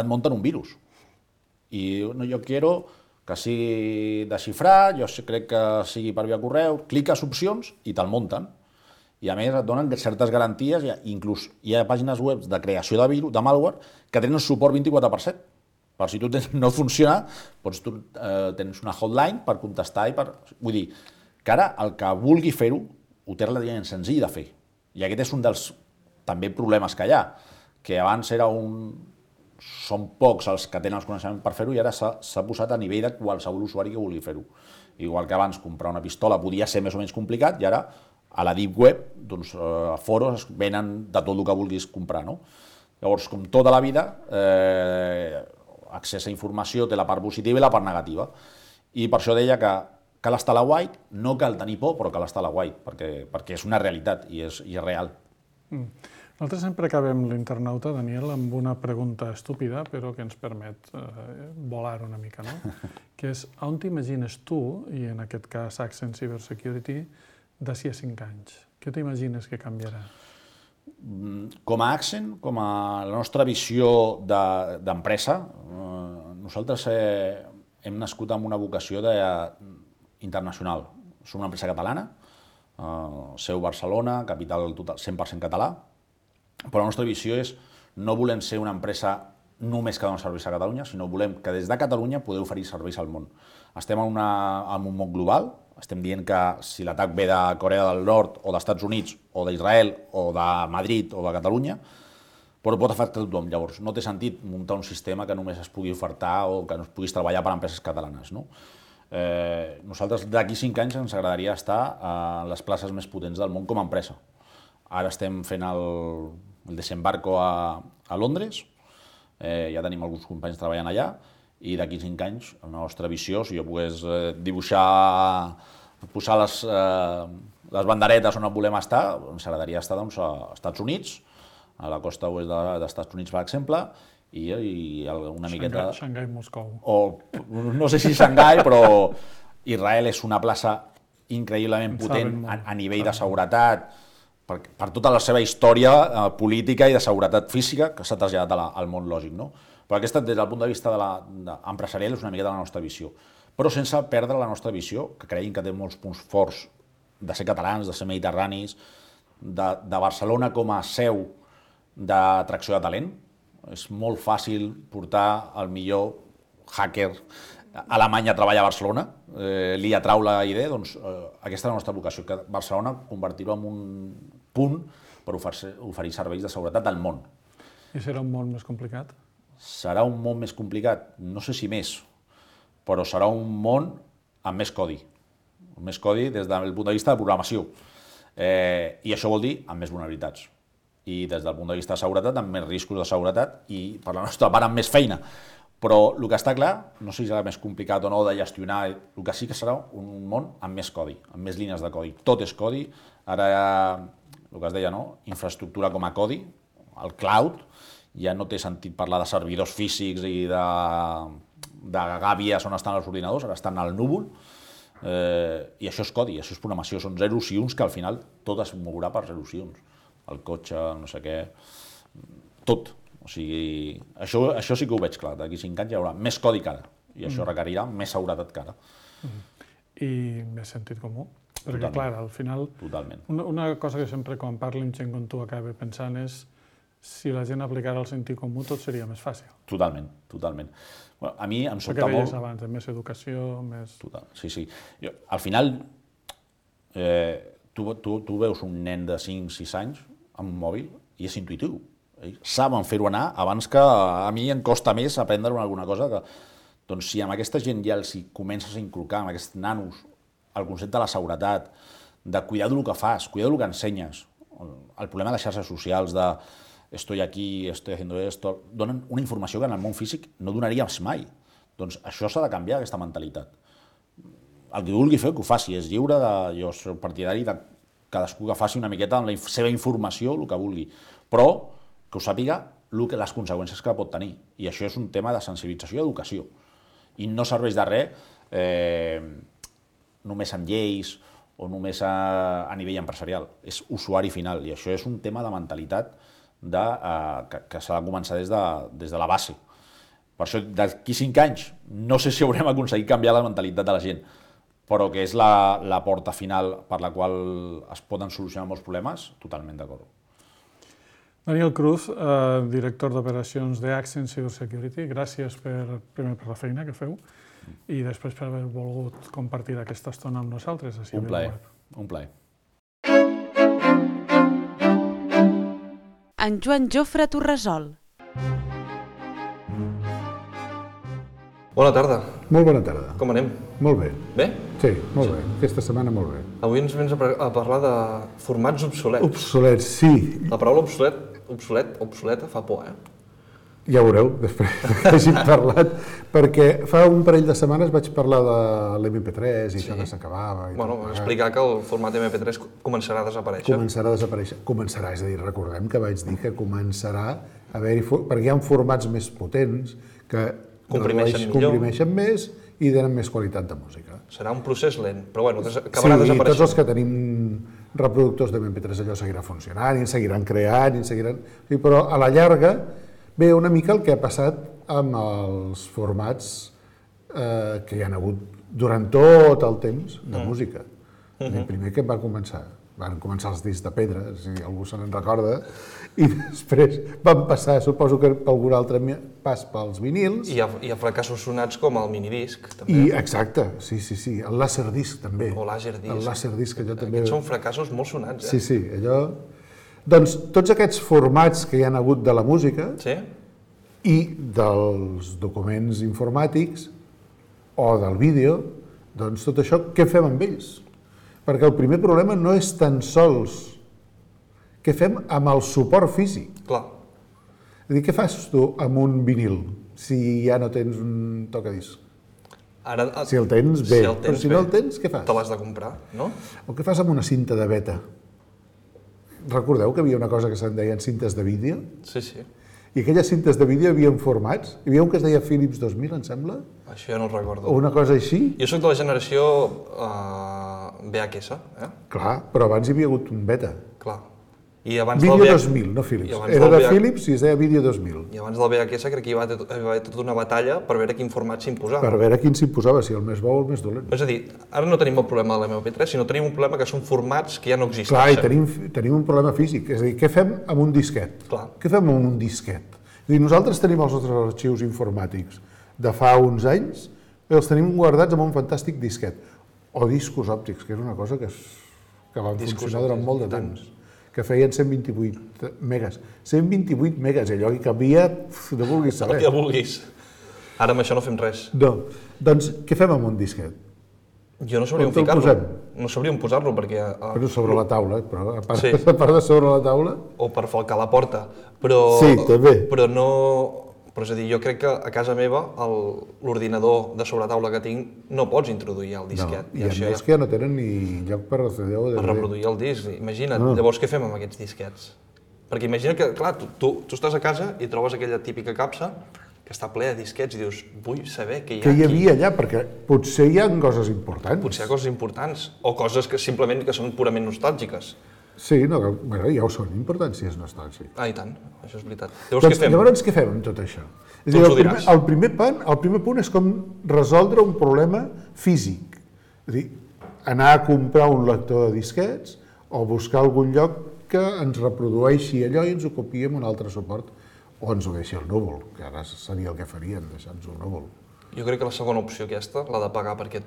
et munten un virus. I jo quiero que sigui desxifrat, jo crec que sigui per via correu, cliques opcions i te'l munten. I a més et donen certes garanties, inclús hi ha pàgines web de creació de virus, de malware, que tenen suport 24/7. Per si tu no funciona, doncs tu tens una hotline per contestar i per... Vull dir, que ara el que vulgui fer-ho ho té relativament senzill de fer. I aquest és un dels també problemes que hi ha, que abans era són pocs els que tenen els coneixements per fer-ho i ara s'ha posat a nivell de qualsevol usuari que vulgui fer-ho. Igual que abans comprar una pistola podia ser més o menys complicat i ara a la Deep Web, doncs, a foros es venen de tot el que vulguis comprar, no? Llavors, com tota la vida, accés a informació té la part positiva i la part negativa. I per això deia que cal estar a la white, no cal tenir por, però cal estar a la white, perquè és una realitat i és real. Nosaltres sempre acabem l'internauta, Daniel, amb una pregunta estúpida, però que ens permet volar una mica, no? Que és, on t'imagines tu, i en aquest cas Accent Cybersecurity, d'ací a 5 anys? Què t'imagines que canviarà? Com a Accent, com a la nostra visió d'empresa, nosaltres hem nascut amb una vocació internacional. Som una empresa catalana, seu Barcelona, capital 100% català, però la nostra visió és no volem ser una empresa només que dona serveis a Catalunya, sinó volem que des de Catalunya poder oferir serveis al món. Estem en un món global, estem dient que si l'atac ve de Corea del Nord o dels Estats Units o d'Israel o de Madrid o de Catalunya, però pot afectar tothom. Llavors, no té sentit muntar un sistema que només es pugui ofertar o que no es puguis treballar per a empreses catalanes, no? Nosaltres d'aquí 5 anys ens agradaria estar a les places més potents del món com a empresa. Ara estem fent el desembarco a Londres, ja tenim alguns companys treballant allà, i d'aquí 5 anys, la nostra visió, si jo pogués dibuixar, posar les banderetes on volem estar, ens agradaria estar doncs, a Estats Units, a la costa oest dels Estats Units, per exemple, i una miqueta... Xangai, Moscou. O no sé si Xangai, però Israel és una plaça increïblement potent a nivell de seguretat, per tota la seva història política i de seguretat física que s'ha traslladat al món lògic, no? Però aquesta, des del punt de vista empresarial, és una miqueta la nostra visió. Però sense perdre la nostra visió, que creiem que té molts punts forts de ser catalans, de ser mediterranis, de Barcelona com a seu d'atracció de talent. És molt fàcil portar el millor hacker alemany a treballar a Barcelona, li atrau la idea, doncs aquesta és la nostra vocació, que Barcelona convertir-ho en un punt per oferir serveis de seguretat al món. I serà un món més complicat? Serà un món més complicat, no sé si més, però serà un món amb més codi. Més codi des del punt de vista de programació. I això vol dir amb més vulnerabilitats. I des del punt de vista de seguretat, amb més riscos de seguretat i, per la nostra part, amb més feina. Però el que està clar, no sé si serà més complicat o no de gestionar, el que sí que serà un món amb més codi, amb més línies de codi. Tot és codi, ara el que es deia, no? Infraestructura com a codi, el cloud, ja no té sentit parlar de servidors físics i de gàbies on estan els ordinadors, ara estan al núvol, i això és codi, això és programació, són zeros i uns que al final tot es mourà per zeros i uns. El cotxe, no sé què, tot. O sigui, això sí que ho veig clar, d'aquí 5 anys hi haurà més codi que ara, i això requerirà més seguretat que ara. I més sentit comú? Perquè, clar, al final, una cosa que sempre quan parlo amb gent com tu acaba pensant és si la gent aplicara el sentit comú tot seria més fàcil. Totalment, totalment. Bueno, a mi em sobta molt... Perquè deies abans, més educació, més... Sí. Al final, tu veus un nen de 5-6 anys amb un mòbil i és intuïtiu. Saben fer-ho anar abans que a mi em costa més aprendre alguna cosa. Doncs si amb aquesta gent ja els comences a inculcar, amb aquests nanos, el concepte de la seguretat, de cuidar del que fas, cuidar del que ensenyes, el problema de les xarxes socials, de estoy aquí, estoy haciendo esto, donen una informació que en el món físic no donaries mai. Doncs això s'ha de canviar, aquesta mentalitat. El que vulgui fer, que ho faci, és lliure, jo soc partidari de cadascú que faci una miqueta amb la seva informació, el que vulgui, però que ho sàpiga les conseqüències que pot tenir. I això és un tema de sensibilització i educació. I no serveix de res només amb lleis o només a nivell empresarial. És usuari final i això és un tema de mentalitat que s'ha de començar des de la base. Per això, d'aquí 5 anys, no sé si haurem aconseguit canviar la mentalitat de la gent, però que és la porta final per la qual es poden solucionar molts problemes, totalment d'acord. Daniel Cruz, director d'operacions d'Accent Cybersecurity, gràcies primer per la feina que feu i després per haver volgut compartir aquesta estona amb nosaltres. Un plaer, un plaer. En Joan Jofre Torresol. Bona tarda. Molt bona tarda. Com anem? Molt bé. Bé? Sí, molt bé. Aquesta setmana molt bé. Avui ens vens a parlar de formats obsolets. Obsolets, sí. La paraula obsoleta fa por, Ja ho veureu, després que hàgim parlat, perquè fa un parell de setmanes vaig parlar de l'MP3 i això que s'acabava. Bueno, explicar que el format MP3 començarà a desaparèixer. Començarà a desaparèixer. Començarà, és a dir, recordem que vaig dir que començarà a haver-hi... Perquè hi ha formats més potents que comprimeixen més i donen més qualitat de música. Serà un procés lent, però bueno, acabarà desapareixent. Sí, tots els que tenim reproductors de MP3 allò seguirà funcionant i en seguiran creant, però a la llarga ve una mica el que ha passat amb els formats que hi ha hagut durant tot el temps de música. El primer que van començar els discs de pedra, si algú se n'en recorda, i després van passar, suposo que per algun altre pas pels vinils. I hi ha fracassos sonats com el minidisc, també. Exacte, sí, el Laserdisc també. O Laserdisc. El Laserdisc, allò també... Aquests són fracassos molt sonats, Sí, allò... Doncs tots aquests formats que hi ha hagut de la música i dels documents informàtics o del vídeo Doncs tot això, què fem amb ells? Perquè el primer problema no és tan sols què fem amb el suport físic. Clar. És a dir, què fas tu amb un vinil si ja no tens un tocadisc? Ara, Si el tens, bé, el però si no el tens, què fas? te l'has de comprar, no? O què fas amb una cinta de beta? Recordeu que hi havia una cosa que se'n deien cintes de vídeo? Sí, sí. I aquelles cintes de vídeo hi havia formats. Hi havia un que es deia Philips 2000, em sembla? Això ja no ho recordo. O una cosa així? Jo sóc de la generació VHS, Clar, però abans hi havia hagut un beta. Clar. I abans Vídeo del 2000, no I Philips. abans Era del de VH Philips i es deia Vídeo 2000. I abans del VHS crec que hi va haver tota una batalla per veure quin format s'imposava. Per veure quin s'imposava, si el més bo o el més dolent. És a dir, ara no tenim el problema de l'MP3, sinó tenim un problema que són formats que ja no existeixen. Clar, i tenim un problema físic. És a dir, què fem amb un disquet? Clar. Què fem amb un disquet? És a dir, nosaltres tenim els nostres arxius informàtics de fa uns anys, els tenim guardats en un fantàstic disquet. O discos òptics, que és una cosa que van funcionar durant molt de temps. Que feien 128 megas. 128 megas, allò que canvia, no vulguis El saber. que vulguis. Ara amb això no fem res. No. Doncs què fem amb un disquet? Jo no sabria on On te'l ficar-lo. posem? No sabria on posar-lo perquè... Però sobre la taula, però a part, Sí. a part de sobre la taula... O per falcar la porta. Però, Sí, també. Però no... Però és a dir, jo crec que a casa meva l'ordinador de sobretaula que tinc no pots introduir el disquet. I a més que ja no tenen ni lloc per CD o Per DVD. reproduir el disc. Imagina't, llavors què fem amb aquests disquets? Perquè imagina que, clar, tu estàs a casa i trobes aquella típica capsa que està ple de disquets i dius, vull saber què hi ha Què hi aquí. havia allà? Perquè potser hi ha coses importants. Potser hi ha coses importants, o coses que simplement que són purament nostàlgiques. Sí, no, bueno, ja ho són importants si és nostàlgic. Ah, i tant, això és veritat. Llavors què fem? Llavors què fem amb tot això? És Tu a dir, ens ho diràs. el primer punt és com resoldre un problema físic. És a dir, anar a comprar un lector de disquets o buscar algun lloc que ens reprodueixi allò i ens ho copiï amb un altre suport o ens ho deixi al núvol, que ara seria el que farien, deixar-nos al núvol. Jo crec que la segona opció aquesta, la de pagar perquè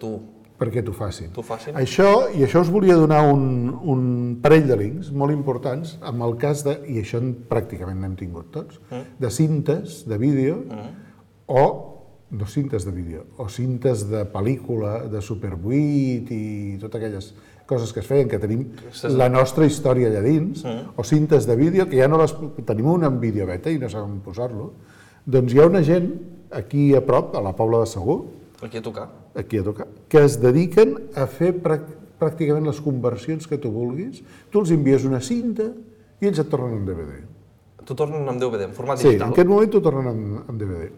Perquè t'ho facin. t'ho facin. Això us volia donar un parell de links molt importants amb el cas de, i això pràcticament n'hem tingut tots, de cintes de vídeo o no cintes de vídeo, o cintes de pel·lícula, de Super 8 i totes aquelles coses que es feien, que tenim la nostra història allà dins, o cintes de vídeo, que ja no les... Tenim una en vídeo beta i no sabem posar-lo. Doncs hi ha una gent aquí a prop, a la Pobla de Segur, Aquí a tocar. aquí a tocar, que es dediquen a fer pràcticament les conversions que tu vulguis. Tu els envies una cinta i ells et tornen en DVD. T'ho tornen amb DVD, en format Sí, digital. en aquest moment t'ho tornen en DVD.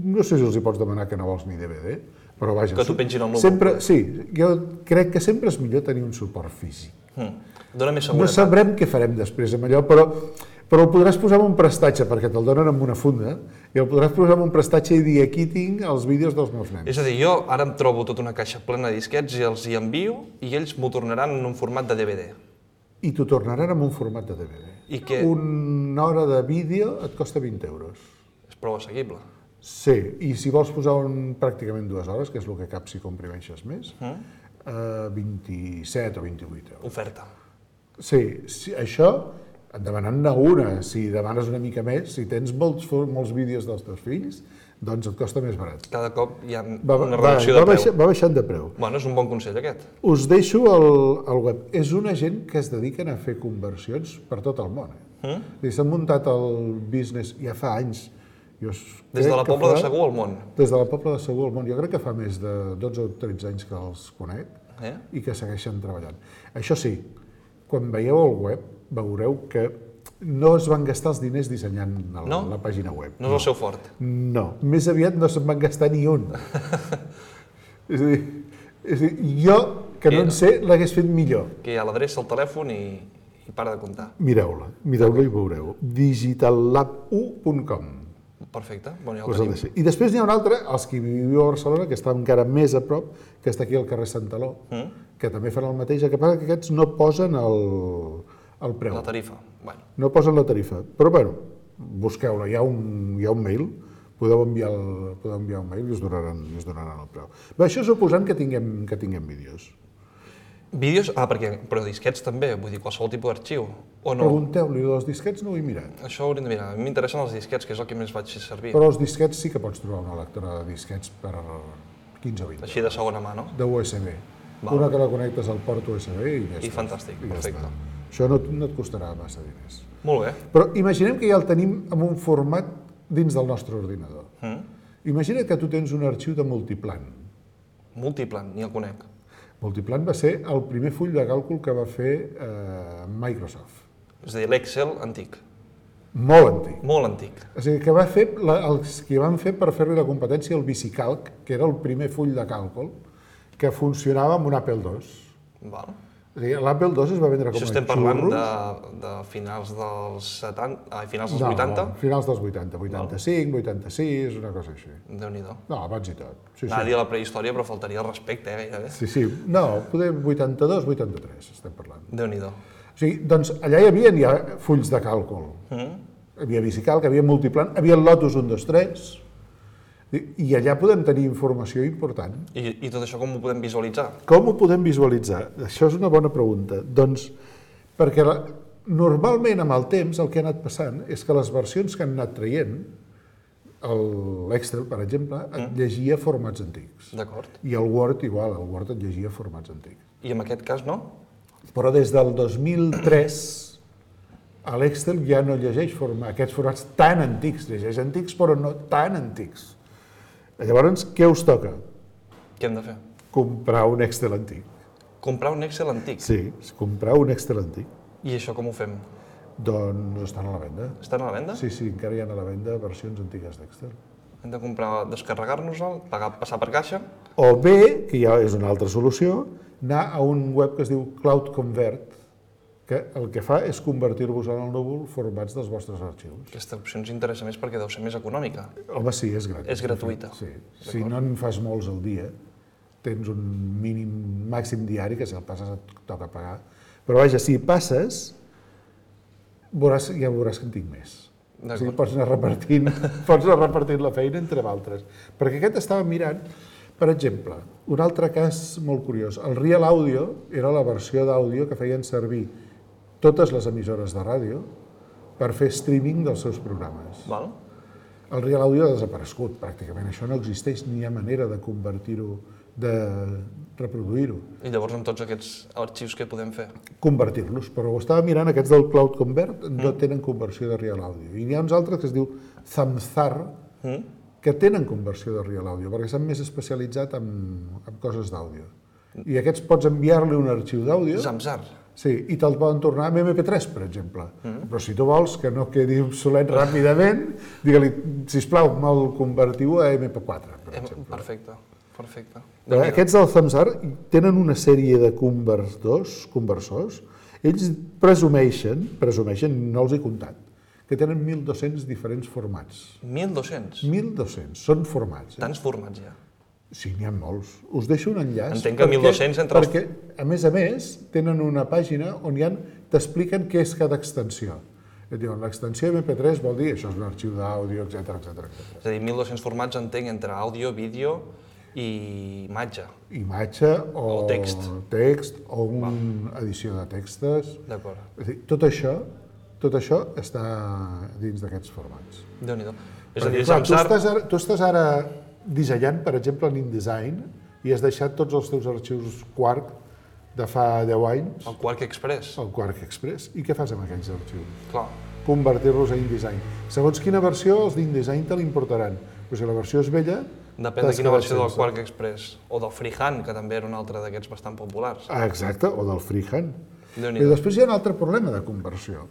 No sé si els hi pots demanar que no vols ni DVD, però vaja... Que t'ho pengin al núvol. Sempre, sí, jo crec que sempre és millor tenir un suport físic. Dóna més No seguretat. sabrem què farem després amb allò, però el podràs posar en un prestatge, perquè te'l donen amb una funda, i el podràs posar en un prestatge i dir aquí tinc els vídeos dels meus nens. És a dir, jo ara em trobo tota una caixa plena de disquets i els hi envio i ells m'ho tornaran en un format de DVD. I t'ho tornaran en un format de DVD. I que Una hora de vídeo et costa 20 euros. és prou assequible. Sí, i si vols posar pràcticament 2 hores, que és el que cap si comprimeixes més, 27 o 28 euros. Oferta. Sí, això et demanant-ne una. Si demanes una mica més, si tens molts vídeos dels teus fills, doncs et costa més barat. Cada cop hi ha una reducció de preu. Va baixant de preu. Bueno, és un bon consell aquest. Us deixo el web. És una gent que es dediquen a fer conversions per tot el món. S'han muntat el business ja fa anys. Des de la Pobla de Segur al món. Des de la Pobla de Segur al món. Jo crec que fa més de 12 o 13 anys que els conec i que segueixen treballant. Això sí, quan veieu el web, veureu que no es van gastar els diners dissenyant la pàgina web. No és el seu fort. No, més aviat no se'n van gastar ni un. És a dir, jo, que no en sé, l'hagués fet millor. Que hi ha l'adreça, el telèfon i para de comptar. Mireu-la i veureu. digitallab1.com. Perfecte, bueno, ja ho tenim. I després n'hi ha un altre, els que viviu a Barcelona, que està encara més a prop, que està aquí al carrer Santaló, que també fan el mateix, el que passa que aquests no posen el preu. La tarifa. Bueno. No posen la tarifa, però bueno, busqueu-la, hi ha un mail, podeu enviar un mail i us donaran el preu. Bé, això suposant que tinguem vídeos. Vídeos? Però disquets també, vull dir, qualsevol tipus d'arxiu, o no? Pregunteu-li, dels disquets no ho he mirat. Això ho hauríem de mirar. A mi m'interessen els disquets, que és el que més vaig fer servir. Però els disquets sí que pots trobar una lectora de disquets 15 o 20. Així de segona mà, no? De USB. Val. Una que la connectes al port USB i ja I està. fantàstic, I ja perfecte. està. Això no et costarà massa diners. Molt bé. Però imaginem que ja el tenim en un format dins del nostre ordinador. Imagina que tu tens un arxiu de Multiplan. Multiplan, ni el conec. Multiplan va ser el primer full de càlcul que va fer Microsoft. És a dir, l'Excel antic. Molt antic. Molt antic. O sigui, que va fer els que van fer per fer-li la competència al VisiCalc, que era el primer full de càlcul, que funcionava amb un Apple II. Val. O sigui, l'Apple II es va vendre com a Això estem parlant xurros. de finals dels 70, finals dels 80? No, finals dels 80, 85, 86, una cosa així. Déu-n'hi-do. No, abans i tot. Sí, Anava a sí. dir la prehistòria, però faltaria el respecte, gairebé. Sí, sí. No, poder 82, 83, estem parlant. Déu-n'hi-do. O sigui, doncs allà hi havia ja fulls de càlcul. Hi havia VisiCalc, hi havia Multiplan, hi havia el Lotus 1, 2, 3, i allà podem tenir informació important. I tot això com ho podem visualitzar? Com ho podem visualitzar? Això és una bona pregunta. Doncs, perquè normalment amb el temps el que ha anat passant és que les versions que han anat traient, l'Excel, per exemple, et llegia formats antics. D'acord. I el Word igual, el Word et llegia formats antics. I en aquest cas no? Però des del 2003 l'Excel ja no llegeix aquests formats tan antics, llegeix antics però no tan antics. Llavors, què us toca? Què hem de fer? Comprar un Excel antic. Comprar un Excel antic. Sí, comprar un Excel antic. I això com ho fem? Doncs estan a la venda. Estan a la venda? Sí, encara hi ha a la venda versions antigues d'Excel. Hem de comprar, descarregar-nos-el, passar per caixa? O bé, que ja és una altra solució, anar a un web que es diu Cloud Convert, que el que fa és convertir-vos en el núvol formats dels vostres arxius. Aquesta opció ens interessa més perquè deu ser més econòmica. Home, sí, és gratuïta. És gratuïta. Sí. Si no en fas molts al dia, tens un màxim diari que si el passes et toca pagar. Però vaja, si passes, ja veuràs que en tinc més. O sigui, pots anar repartint la feina entre altres. Perquè aquest estava mirant, per exemple, un altre cas molt curiós. El Real Audio era la versió d'àudio que feien servir totes les emissores de ràdio per fer streaming dels seus programes. Val? El Real Audio ha desaparegut, pràcticament. Això no existeix, ni hi ha manera de convertir-ho, de reproduir-ho. I llavors amb tots aquests arxius què podem fer? Convertir-los, però ho estava mirant, aquests del Cloud Convert no tenen conversió de Real Audio. I n'hi ha uns altres que es diu Zamzar, que tenen conversió de Real Audio, perquè s'han més especialitzat en coses d'àudio. I aquests pots enviar-li un arxiu d'àudio. Zamzar. Sí, i te'l poden tornar amb MP3, per exemple. Però si tu vols que no quedi obsolet ràpidament, digue-li, sisplau, me'l convertiu a MP4, per exemple. Perfecte, perfecte. Aquests del Zamzar tenen una sèrie de conversors. Ells presumeixen, no els he comptat, que tenen 1.200 diferents formats. 1.200? 1.200, són formats. Tants formats ja. Sí, n'hi ha molts. Us deixo un enllaç. Entenc que 1.200 entre els... Perquè, a més, tenen una pàgina on t'expliquen què és cada extensió. Et diuen, l'extensió MP3 vol dir, això és un arxiu d'àudio, etc. És a dir, 1.200 formats entenc entre àudio, vídeo i imatge. Imatge o text. O una edició de textos. D'acord. És a dir, tot això està dins d'aquests formats. Déu-n'hi-do. És a dir, clar, tu estàs ara dissenyant, per exemple, en InDesign, i has deixat tots els teus arxius Quark de fa 10 anys. El Quark Express. El Quark Express. I què fas amb aquells arxius? Clar. Convertir-los a InDesign. Segons quina versió, els d'InDesign te l'importaran. Però si la versió és vella... Depèn de quina versió del Quark Express. O del Freehand, que també era un altre d'aquests bastant populars. Ah, exacte, o del Freehand. I després hi ha un altre problema de conversió.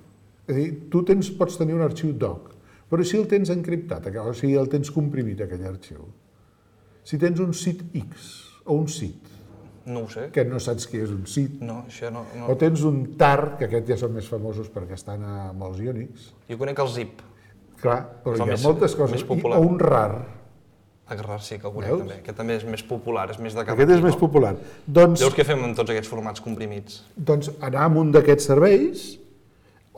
És a dir, tu pots tenir un arxiu doc, però si el tens encriptat, o sigui, el tens comprimit, aquell arxiu, si tens un sit X o un sit, no ho sé. Que no saps què és un sit, no, això no. O tens un tar, que aquests ja són més famosos perquè estan a molts Unix. Jo conec el zip. Clar, però hi ha moltes coses. O un rar. El rar sí que el conec també. Aquest també és més popular, és més de cap. Aquest és més popular. Llavors què fem amb tots aquests formats comprimits? Doncs anar a un d'aquests serveis,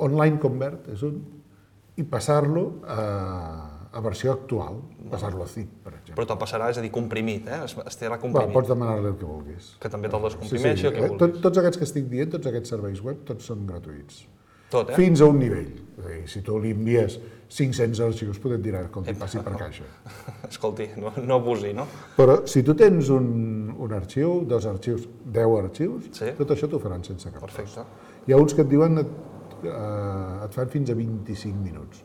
Online Convert és un, i passar-lo a versió actual, passar-lo a zip, per exemple. Però te'l passarà, és a dir, comprimit, estarà comprimit. Pots demanar-li el que vulguis. Que també te'l descomprimeixi, el que vulguis. Tots aquests que estic dient, tots aquests serveis web, tots són gratuïts. Tot, Fins a un nivell. És a dir, si tu li envies 500 arxius, potser et dirà que et passi per caixa. Escolti, no abusi, no? Però si tu tens un arxiu, 2 arxius, 10 arxius, Sí. tot això t'ho faran sense cap cost. Perfecte. Hi ha uns que et diuen et fan fins a 25 minuts.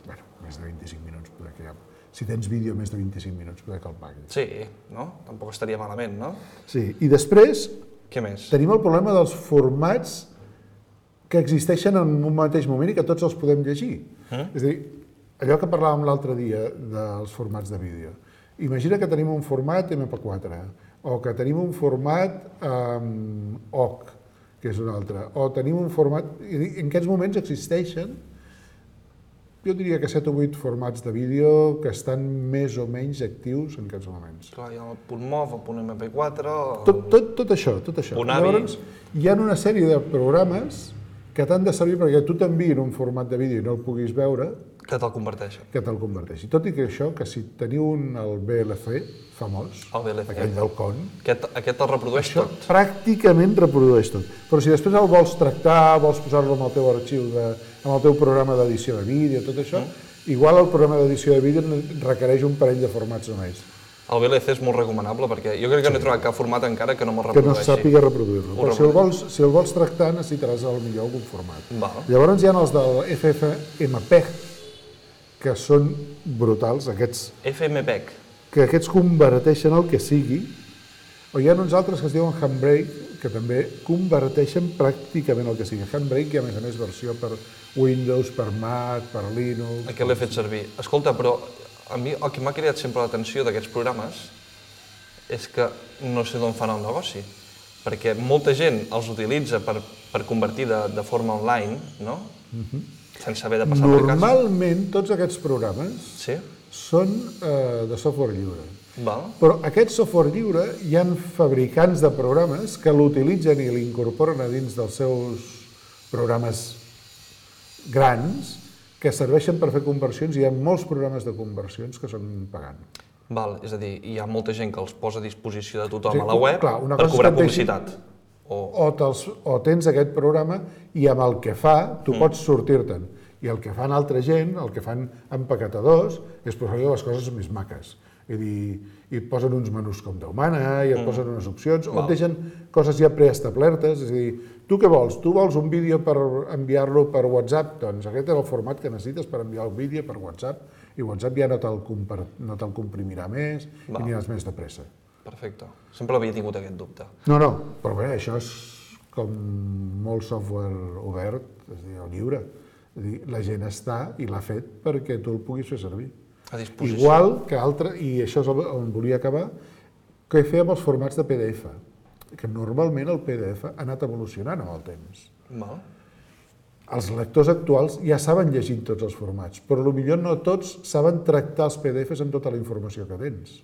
Bé, més de 25 minuts, poder que ja... Si tens vídeo més de 25 minuts, poder que el paguis. Sí, no? Tampoc estaria malament, no? Sí, i després Què més? tenim el problema dels formats que existeixen en un mateix moment i que tots els podem llegir. És a dir, allò que parlàvem l'altre dia dels formats de vídeo. Imagina que tenim un format MP4 o que tenim un format OGG, que és un altre, o tenim un format... En aquests moments existeixen, jo diria que 7 o 8 formats de vídeo que estan més o menys actius en aquests moments. Clar, hi ha el punt MOV, el punt MP4... Tot això. Punt AVI. Llavors, hi ha una sèrie de programes que t'han de servir perquè tu t'enviïn un format de vídeo i no el puguis veure, Que te'l converteixen. que te'l converteixi. Tot i que això, que si teniu el VLC famós, El VLC. aquell del con, Aquest el reprodueix això tot. pràcticament reprodueix tot. Però si després el vols tractar, vols posar-lo en el teu arxiu, en el teu programa d'edició de vídeo, tot això, igual el programa d'edició de vídeo requereix un parell de formats només, El VLC és molt recomanable perquè jo crec que no he trobat cap format encara que no me'l que no reprodueixi. sàpiga reproduir-lo. Ho Però si el vols tractar, necessitaràs potser algun format. Val. Llavors hi ha els del FFmpeg, que són brutals, FMPEG. que aquests converteixen el que sigui, o hi ha uns altres que es diuen Handbrake, que també converteixen pràcticament el que sigui. Handbrake i a més versió per Windows, per Mac, per Linux... Aquest l'he fet servir. Escolta, però a mi el que m'ha cridat sempre l'atenció d'aquests programes és que no sé d'on fan el negoci, perquè molta gent els utilitza per convertir de forma online, no? Sense haver de passar per casa. Normalment tots aquests programes Sí? són de software lliure. Val. Però aquest software lliure hi ha fabricants de programes que l'utilitzen i l'incorporen a dins dels seus programes grans que serveixen per fer conversions, i hi ha molts programes de conversions que són pagant. Val, és a dir, hi ha molta gent que els posa a disposició de tothom Sí, a la web clar, una per cosa és cobrar que et deixi- publicitat. O tens aquest programa i amb el que fa tu pots sortir-te'n. I el que fan altra gent, el que fan empaquetadors, és posar-li les coses més maques. És a dir, i et posen uns menús com Déu mana, i et posen unes opcions, o et deixen coses ja preestablertes, és a dir, tu què vols? Tu vols un vídeo per enviar-lo per WhatsApp? Doncs aquest és el format que necessites per enviar el vídeo per WhatsApp, i WhatsApp ja no te'l comprimirà més i aniràs més de pressa. Perfecte. Sempre havia tingut aquest dubte. No, però bé, això és com molt software obert, és a dir, o lliure. És a dir, la gent està i l'ha fet perquè tu el puguis fer servir. A disposició. Igual que altre, i això és on volia acabar, que fer amb els formats de PDF, que normalment el PDF ha anat evolucionant amb el temps. Val. Els lectors actuals ja saben llegir tots els formats, però potser no tots saben tractar els PDFs amb tota la informació que tens.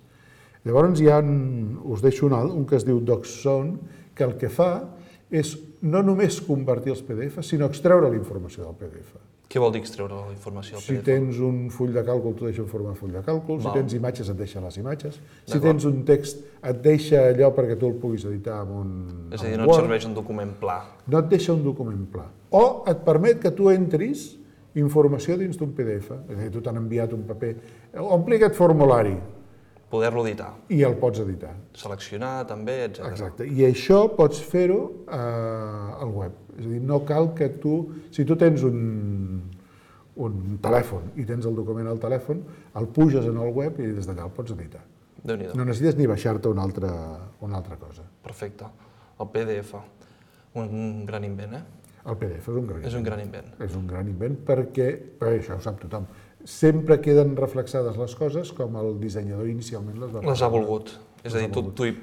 Llavors us deixo un que es diu DocZone, que el que fa és no només convertir els PDFs, sinó extreure la informació del PDF. Què vol dir extreure la informació del Si PDF? tens un full de càlcul, t'ho deixa en forma de full de càlcul. Si Val. tens imatges, et deixa les imatges. Si tens un text, et deixa allò perquè tu el puguis editar amb un És a dir, amb no et Word. serveix un document pla. No et deixa un document pla. O et permet que tu entris informació dins d'un PDF. És a dir, tu t'han enviat un paper. Ompli aquest formulari Poder-lo editar. i el pots editar. Seleccionar també, etc. Exacte. I això pots fer-ho al web. És a dir, no cal que tu... Si tu tens un telèfon i tens el document al telèfon, el puges en el web i des d'allà el pots editar. Déu-n'hi-do. No necessites ni baixar-te una altra cosa. Perfecte. El PDF. Un gran invent, eh? El PDF és un gran És un gran invent. És un gran invent perquè això ho sap tothom, sempre queden reflexades les coses com el dissenyador inicialment les va Les ha volgut. És a dir, tu hi...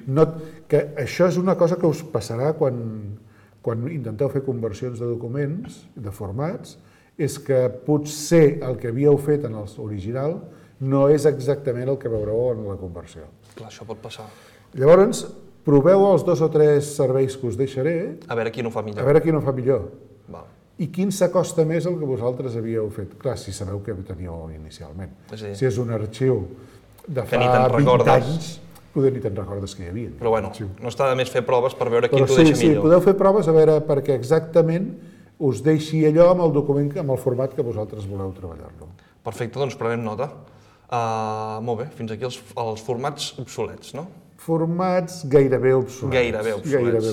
Que això és una cosa que us passarà quan intenteu fer conversions de documents, de formats, és que potser el que havíeu fet en l'original no és exactament el que veureu en la conversió. Clar, això pot passar. Llavors, proveu els 2 o 3 serveis que us deixaré, A veure qui no fa millor. a veure quin ho fa millor. Val. I quin s'acosta més al que vosaltres havíeu fet. Clar, si sabeu què teníeu inicialment. És a dir, Si és un arxiu de que ni fa te'n 20 recordes. anys, potser ni te'n recordes que hi havia. Però bueno, no està de més fer proves per veure qui Però t'ho sí, deixa sí, millor. podeu fer proves a veure perquè exactament us deixi allò amb el document, amb el format que vosaltres voleu treballar-lo. Perfecte, doncs prenem nota. Molt bé, fins aquí els formats obsolets, no? Formats gairebé obsolets. Gairebé obsolets.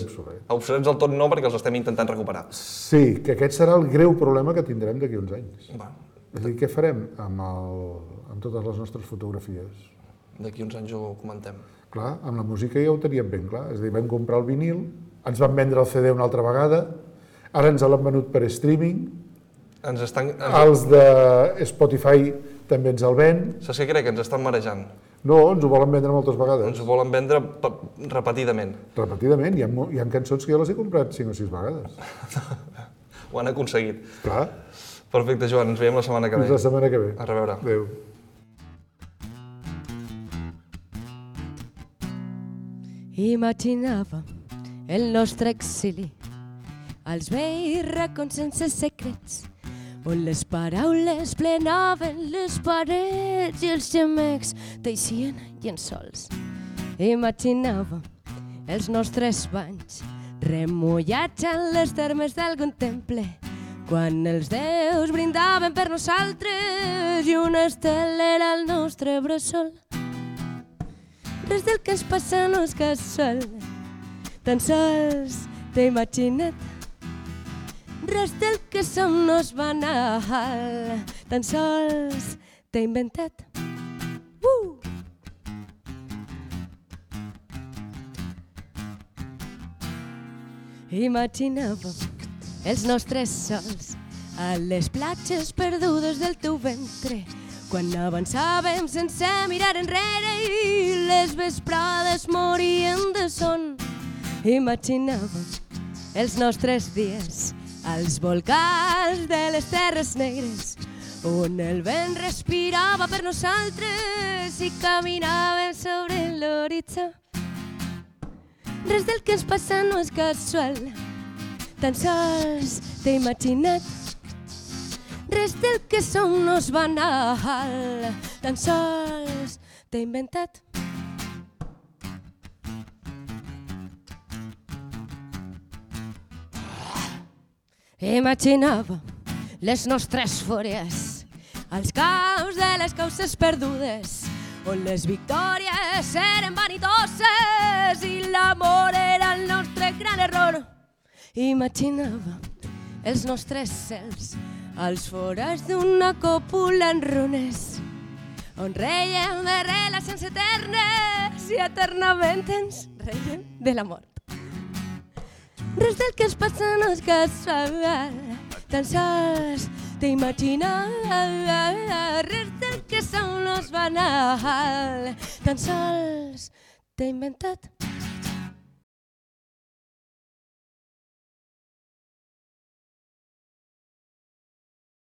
Obsolets del tot no, perquè els estem intentant recuperar. Sí, que aquest serà el greu problema que tindrem d'aquí uns anys. Va. És a dir, què farem amb totes les nostres fotografies? D'aquí uns anys ho comentem. Clar, amb la música ja ho teníem ben clar. És a dir, vam comprar el vinil, ens van vendre el CD una altra vegada, ara ens l'han venut per streaming, els de Spotify també ens el ven. Saps què crec? Ens estan marejant. No, ens ho volen vendre moltes vegades. Ens ho volen vendre repetidament. Repetidament, hi ha cançons que jo les he comprat 5 o 6 vegades. Ho han aconseguit. Clar. Perfecte, Joan, ens veiem la setmana que ve. Fins la setmana que ve. A reveure. Adéu. Imaginava el nostre exili als vells racons sense secrets, on les paraules plenaven les parets i els gemecs teixien llençols. Imaginava els nostres banys remullats en les termes d'algun temple, quan els déus brindaven per nosaltres i una estela era el nostre bressol. Res del que ens passa no és casual, tan sols t'he imaginat. Res del que som no és banal, tan sols t'he inventat. Imaginava els nostres sols a les platges perdudes del teu ventre, quan avançàvem sense mirar enrere i les vesprades morien de son. Imaginava els nostres dies als volcans de les terres negres, on el vent respirava per nosaltres i caminàvem sobre l'horitzó. Res del que ens passa no és casual, tan sols t'he imaginat. Res del que som no és banal, tan sols t'he inventat. Imaginava les nostres fúries als caus de les causes perdudes, on les victòries eren vanitoses i l'amor era el nostre gran error. Imaginava els nostres cels als forats d'una còpula en runes, on reiem de relacions eternes i eternament ens reiem de la mort. Res del que ens passa no és casual, tan sols t'he imaginat. Res del que som no és banal, tan sols t'he inventat.